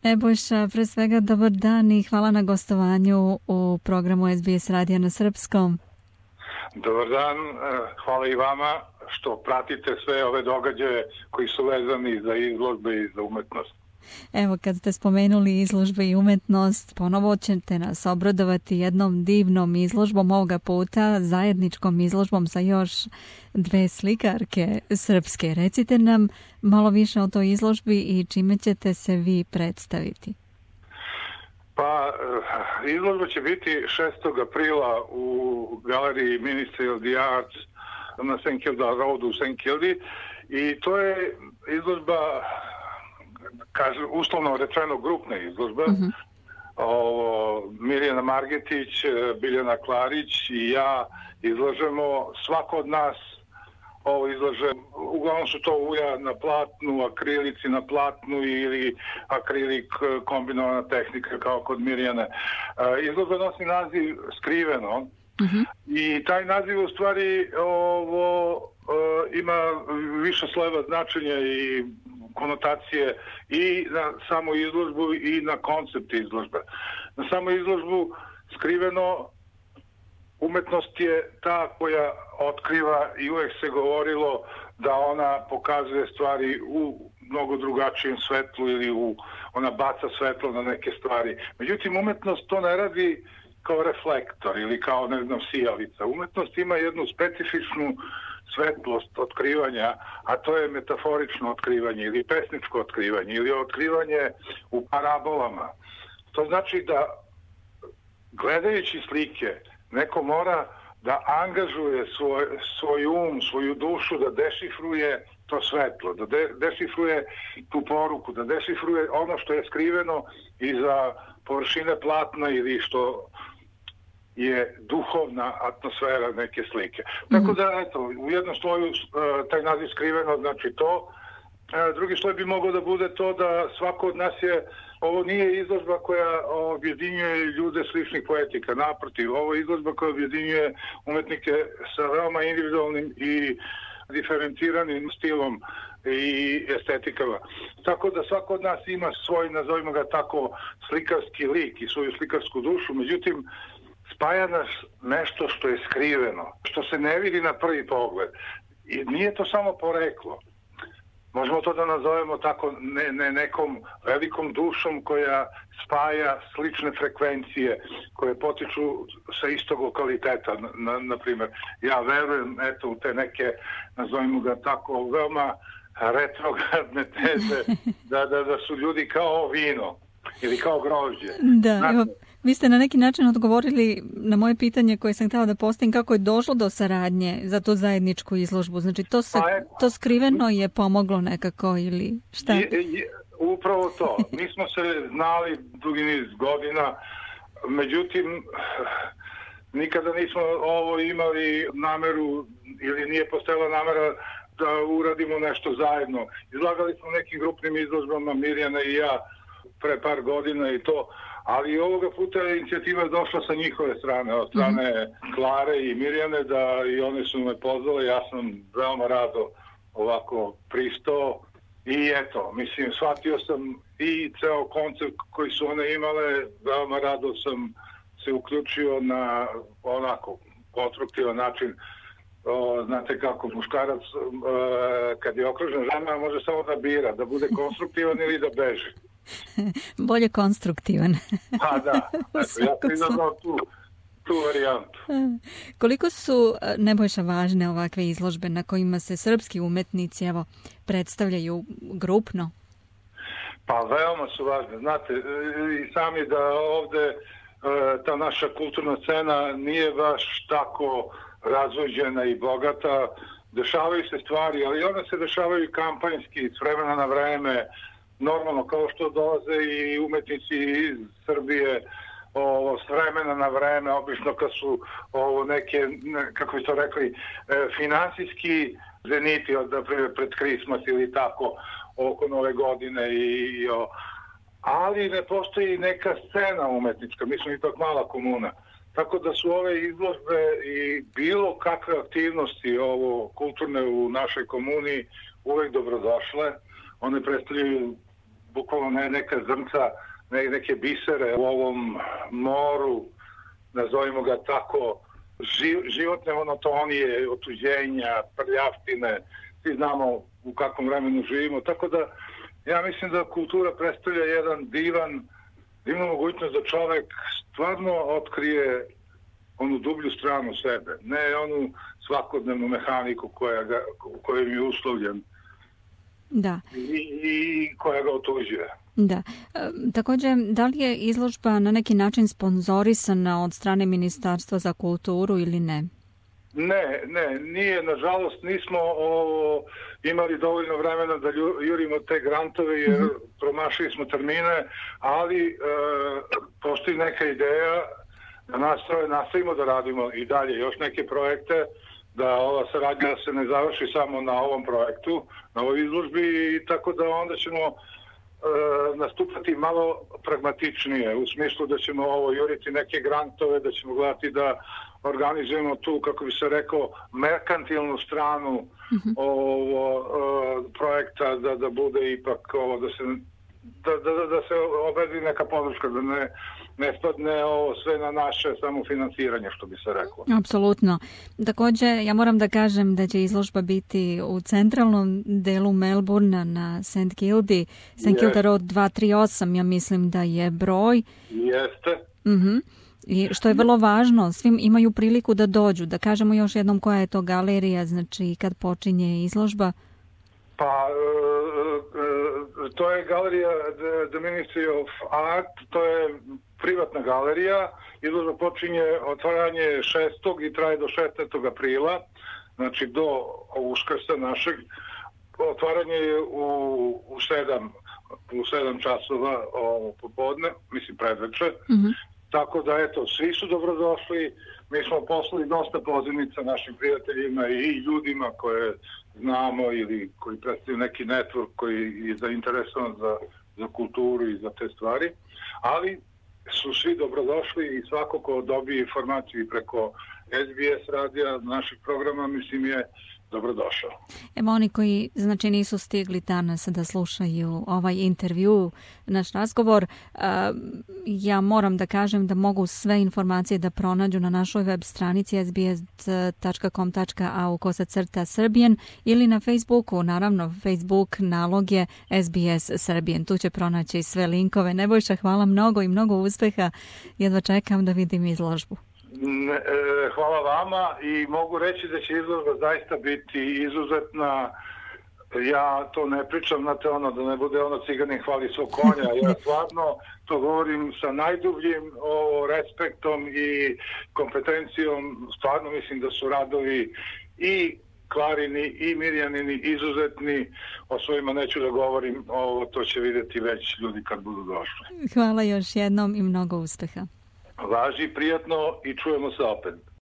Nebojša, pre svega dobar dan i hvala na gostovanju u programu SBS Radija na srpskom. Dobar dan, hvala i vama što pratite sve ove događaje koji su vezani za izložbe i za umetnost. Evo, kad ste spomenuli izložbe i umetnost, ponovo ćete nas obradovati jednom divnom izložbom, ovoga puta zajedničkom izložbom sa još dve slikarke srpske. Recite nam malo više o toj izložbi i čime ćete se vi predstaviti. Pa, izložba će biti 6. aprila u galeriji Ministry of the Arts na St. Kilda Road u St. Kildi i to je izložba, kažem, uslovno rečeno grupna izložba. Mirjana Margetić, Biljana Klarić i ja izlažemo, svako od nas ovo izlaže, uglavnom su to ulja na platnu, akrilici na platnu ili akrilik kombinovana tehnika kao kod Mirjane. Izložba nosi naziv Skriveno i taj naziv u stvari ima više slojeva značenja i konotacije i na samu izložbu i na koncept izložbe. Na samu izložbu Skriveno, umetnost je ta koja otkriva i uvek se govorilo da ona pokazuje stvari u mnogo drugačijem svetlu ili ona baca svetlo na neke stvari. Međutim, umetnost to ne radi kao reflektor ili kao, ne znam, sijalica. Umetnost ima jednu specifičnu svetlost otkrivanja, a to je metaforično otkrivanje ili pesničko otkrivanje ili otkrivanje u parabolama. To znači da gledajući slike neko mora da angažuje svoj um, svoju dušu, da dešifruje to svetlo, da dešifruje tu poruku, da dešifruje ono što je skriveno iza površine platna ili što je duhovna atmosfera neke slike. Tako da, eto, u jednom sloju taj naziv Skriveno znači to. Drugi sloj bi mogao da bude to da svako od nas ovo nije izložba koja objedinjuje ljude sličnih poetika. Naprotiv, ovo je izložba koja objedinjuje umetnike sa veoma individualnim i diferenciranim stilom i estetikama. Tako da svako od nas ima svoj, nazovimo ga tako, slikarski lik i svoju slikarsku dušu. Međutim, spaja nas nešto što je skriveno, što se ne vidi na prvi pogled. I nije to samo poreklo. Možemo to da nazovemo tako nekom velikom dušom koja spaja slične frekvencije koje potiču sa istog lokaliteta. Na primjer, ja verujem u te neke, nazovimo ga tako, veoma retrogradne teze da su ljudi kao vino ili kao grožđe. Da, evo, vi ste na neki način odgovorili na moje pitanje koje sam htjela da postavim, kako je došlo do saradnje za tu zajedničku izložbu. Znači, to Skriveno je pomoglo nekako ili šta? Upravo to. Mi smo se znali dugi niz godina, međutim, nikada nismo imali nameru ili nije postojala namera da uradimo nešto zajedno. Izlagali smo nekim grupnim izložbama, Mirjana i ja, pre par godina i to, ali ovoga puta je inicijativa došla sa njihove strane, od strane Klare i Mirjane, da i one su me pozvale, ja sam veoma rado ovako pristao i eto, mislim, shvatio sam i ceo koncept koji su one imale, veoma rado sam se uključio na onako konstruktivan način. Znate kako, muškarac kad je okružen žena može samo da bira, da bude konstruktivan ili da beži. Bolje konstruktivan. Pa da, ja sam izabrao tu varijantu. Koliko su, Nebojša, važne ovakve izložbe na kojima se srpski umetnici predstavljaju grupno? Pa veoma su važne. Znate, i sami da ovde ta naša kulturna scena nije baš tako razvođena i bogata. Dešavaju se stvari, ali one se dešavaju kampanjski, s vremena na vreme, normalno, kao što dolaze i umetnici iz Srbije s vremena na vreme, obično kad su neke, kako bi to rekli, finansijski zeniti, pred Krismas ili tako, oko Nove godine, ali ne postoji neka scena umetnička, mi smo ipak mala komuna. Tako da su ove izložbe i bilo kakve aktivnosti kulturne u našoj komuni uvek dobrodošle. One predstavljaju bukvalno neka zrnca, neke bisere u ovom moru, nazovimo ga tako, životne monotonije, otuđenja, prljavštine, svi znamo u kakvom vremenu živimo, tako da ja mislim da kultura predstavlja jedan divnu mogućnost da čovek stvarno otkrije onu dublju stranu sebe, ne onu svakodnevnu mehaniku kojom je uslovljen. Da. I koja ga otuđuje. Da. Također, da li je izložba na neki način sponzorisana od strane Ministarstva za kulturu ili ne? Ne, nije. Nažalost, nismo imali dovoljno vremena da jurimo te grantove jer promašili smo termine, ali postoji neka ideja da nastavimo da radimo i dalje još neke projekte, da ova saradnja se ne završi samo na ovom projektu, na ovoj izložbi, i tako da onda ćemo nastupati malo pragmatičnije, u smislu da ćemo juriti neke grantove, da ćemo gledati da organizujemo tu, kako bi se rekao, merkantilnu stranu projekta, da bude ipak da se obezbedi neka podrška, da ne spadne ovo sve na naše samofinansiranje, što bi se reklo. Apsolutno. Također, ja moram da kažem da će izložba biti u centralnom delu Melbourna na St. Kilda Road 238, ja mislim da je broj. Jeste. I što je vrlo važno, svim imaju priliku da dođu. Da kažemo još jednom koja je to galerija, znači kad počinje izložba. Pa, to je galerija The Ministry of Art, to je privatna galerija. Izložba počinje otvaranje 6. i traje do 16. aprila, znači do Uskrsa našeg. Otvaranje je u 7 časova popodne, mislim predveče. Tako da, eto, svi su dobrodošli. Mi smo poslali dosta pozivnica našim prijateljima i ljudima koje znamo ili koji predstavljaju neki network koji je zainteresovan za kulturu i za te stvari. Ali su svi dobrodošli i svako ko dobije informaciju preko SBS radija naših programa, mislim, je dobrodošao. Evo, oni koji znači nisu stigli danas da slušaju ovaj intervju, naš razgovor, ja moram da kažem da mogu sve informacije da pronađu na našoj web stranici sbs.com.au/Serbian ili na Facebooku. Naravno, Facebook nalog je SBS Serbian. Tu će pronaći sve linkove. Nebojša, hvala mnogo i mnogo uspeha. Jedva čekam da vidim izložbu. Hvala vama i mogu reći da će izložba zaista biti izuzetna. Ja to ne pričam, znate, da ne bude ciganin hvali svog konja. Ja stvarno to govorim sa najdubljim respektom i kompetencijom. Stvarno mislim da su radovi i Klarini i Mirjanini izuzetni. O svojima neću da govorim, to će vidjeti već ljudi kad budu došli. Hvala još jednom i mnogo uspeha. Važi, prijatno i čujemo se opet.